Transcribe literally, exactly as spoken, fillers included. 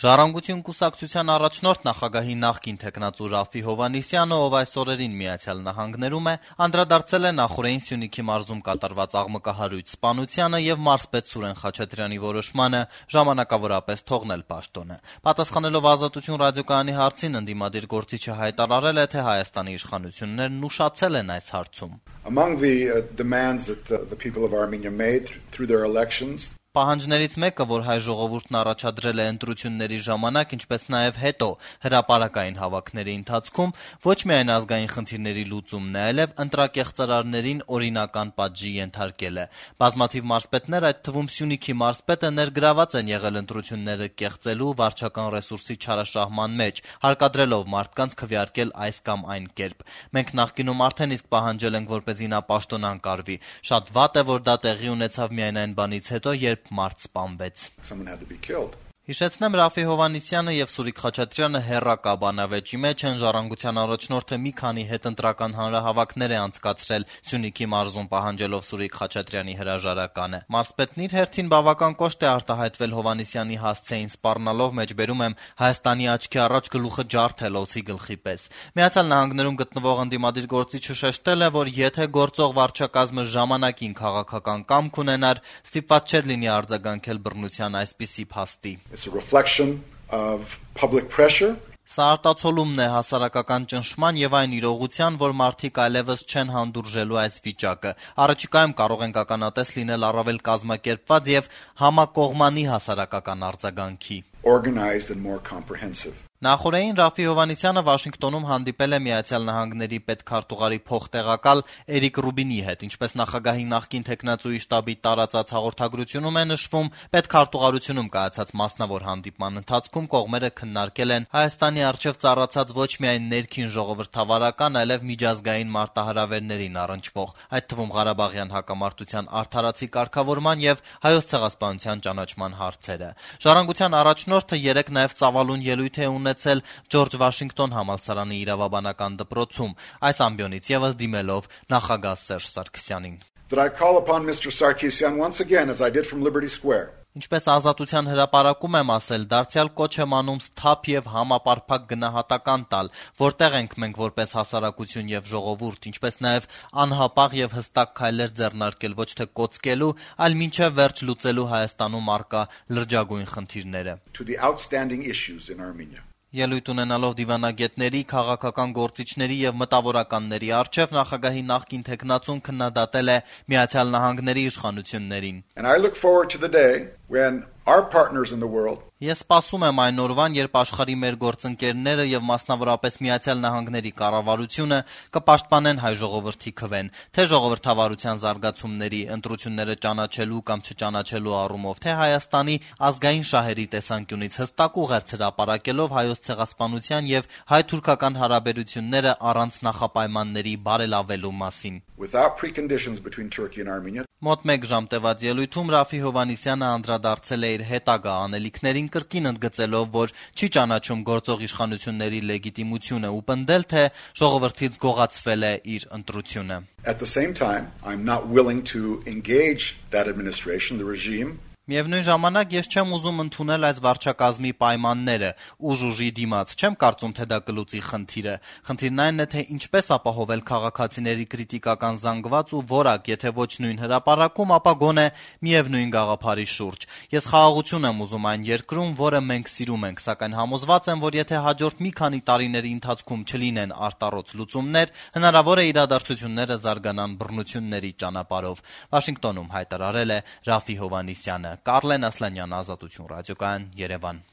Ժառանգություն կուսակցության առաջնորդ նախագահի նախկին թեկնածու Ռաֆֆի Հովհաննիսյանը, ով այս օրերին Միացյալ Նահանգներում է, անդրադարձել է նախօրեին Սյունիքի մարզում կատարված աղմկահարույց սպանությանը եւ մարզպետ Սուրեն Խաչատրյանի որոշմանը ժամանակավորապես թողնել պաշտոնը։ Պատասխանելով Ազատություն ռադիոկայանի հարցին, ընդդիմադիր գործիչը հայտարարել է, թե Հայաստանի իշխանություններն ուշացել են այս հարցում. Among the uh, demands that uh, the people of Armenia made through their elections, Պահանջներից մեկը, որ հայ ժողովուրդն առաջադրել է ընտրությունների ժամանակ, ինչպես նաև հետո հրապարակային հավաքների ընթացքում, ոչ միայն ազգային խնդիրների լուծումն է, այլև ընտրակեղծարարներին օրինական պատժի ենթարկելը։ Բազմաթիվ մարզպետներ, այդ թվում Սյունիքի մարզպետը, ներգրաված են եղել ընտրությունները կեղծելու վարչական ռեսուրսի չարաշահման մեջ, հարկադրելով մարդկանց քվեարկել այս կամ այն կերպ։ Մենք նախկինում արդեն իսկ պահանջել ենք, որպեսզի նա պաշտոն անկարվի։ Շատ վատ է, որ դա տեղի ունեցավ միայն այն բանից հետո, երբ մարդ սպանվեց։ Հիշեցնեմ, Ռաֆֆի Հովհաննիսյանը եւ Սուրիկ Խաչատրյանը հեռակա բանավեճի մեջ են, Ժառանգության առաջնորդը մի քանի հետընտրական հանրահավաքներ է անցկացրել Սյունիքի մարզում, պահանջելով Սուրիկ Խաչատրյանի հրաժարականը։ Մարզպետն իր հերթին բավական կոշտ է արտահայտվել Հովհաննիսյանի հասցեին սպառնալով, մեջբերում եմ, Հայաստանի աչքի առաջ գլուխը ջարդել օձի գլխի պես։ Միացյալ Նահանգներում գտնվող ընդդիմադիր գործիչը շեշտել է, որ եթե գործող վարչակազմը ժամանակին քաղաքական կամք ունենար, ստիպված չէր լինի արձագանքել բռնության այսպիսի փաստի։ It's a reflection of public pressure. Սա արտացոլումն է հասարակական ճնշման եւ այն իրողության, որ մարդիկ այլևս չեն հանդուրժելու այս վիճակը։ Առաջիկայում կարող ենք ականատես լինել առավել կազմակերպված եւ համակողմանի հասարակական արձագանքի։ Organized and more comprehensive. Նախորդին Ռաֆֆի Հովհաննիսյանը Վաշինգտոնում հանդիպել է Միացյալ Նահանգների պետքարտուղարի փոխտեղակալ Էրիկ Ռուբինի հետ, ինչպես նախագահի նախկին թեկնածուի շտաբի տարածած հաղորդագրությունում է նշվում, պետքարտուղարությունում կայացած մասնավոր հանդիպման ընթացքում կողմերը քննարկել են Հայաստանի առջև ծառացած ոչ միայն ներքին ժողովրդավարական, այլև միջազգային մարտահրավերներին առնչվող, այդ թվում Ղարաբաղյան հակամարտության արդարացի կարգավորման եւ Հայոց ցեղասպանության ճանաչման հարցերը։ Ժառանգության առաջնորդը երեկ նաեւ ծավալուն ելույթ է ունեցել Ջորջ Վաշինգտոն համալսարանի իրավաբանական դպրոցում, այս ամբիոնից եւս դիմելով նախագահ Սերժ Սարգսյանին։ That I call upon Mister Sarkisian once again, as I did from Liberty Square. Ինչպես Ազատության հրապարակում եմ ասել, դարձյալ կոչ եմ անում սթափ եւ համապարփակ գնահատական տալ, որտեղ ենք մենք որպես հասարակություն եւ ժողովուրդ, ինչպես նաեւ անհապաղ եւ հստակ քայլեր ձեռնարկել ոչ թե կոծկելու, այլ մինչեւ վերջ լուծելու Հայաստանում առկա լրջագույն խնդիրները։ To the outstanding issues in Armenia. Ելույթ ունենալով դիվանագետների, քաղաքական գործիչների եւ մտավորականների առջև նախագահի նախկին թեկնածուն քննադատել է Միացյալ Նահանգների իշխանություններին։ And I look forward to the day when our partners in the world Ես սպասում եմ այն օրվան, երբ աշխարհի մեր գործընկերները եւ մասնավորապես Միացյալ Նահանգների կառավարությունը կպաշտպանեն հայ ժողովրդի քվեն, թե ժողովրդավարության զարգացումների, ընտրությունները ճանաչելու կամ չճանաչելու առումով, թե Հայաստանի ազգային շահերի տեսանկյունից հստակ ուղերձ հրապարակելով հայոց ցեղասպանության եւ հայ-թուրքական հարաբերությունները առանց նախապայմանների բարելավելու մասին։ Without preconditions between Turkey and Armenia. Մոտ մեկ ժամ տևած ելույթում Ռաֆֆի Հովհաննիսյանը անդրադարձել է իր հետագա անելիքներին, կրկին ընդգծելով, որ չի ճանաչում գործող իշխանությունների լեգիտիմությունը ու պնդել, թե ժողովրդից գողացվել է իր ընտրությունը։ At the same time, I'm not willing to engage that administration, the regime. Միևնույն ժամանակ ես չեմ ուզում ընդունել այս վարչակազմի պայմանները, ուժ ուժի դիմաց, չեմ կարծում, թե դա կլուծի խնդիրը։ Խնդիրն այն է, թե ինչպես ապահովել քաղաքացիների կրիտիկական զանգված ու որակ, եթե ոչ նույն հրապարակում, ապա գոնե միևնույն գաղափարի շուրջ։ Ես խաղաղություն եմ ուզում այն երկրում, որը մենք սիրում ենք, սակայն համոզված եմ, որ եթե հաջորդ մի քանի տարիների ընթացքում չլինեն արտառոց լուծումներ, հնարավոր է իրադարձությունները զարգանան բռնությունների ճանապարհով։ Վաշինգտոնում հայտարարել է Ռաֆֆի Հովհաննիսյանը։ Կարլեն Ասլանյան, Ազատություն ռադիոկայան, Երևան։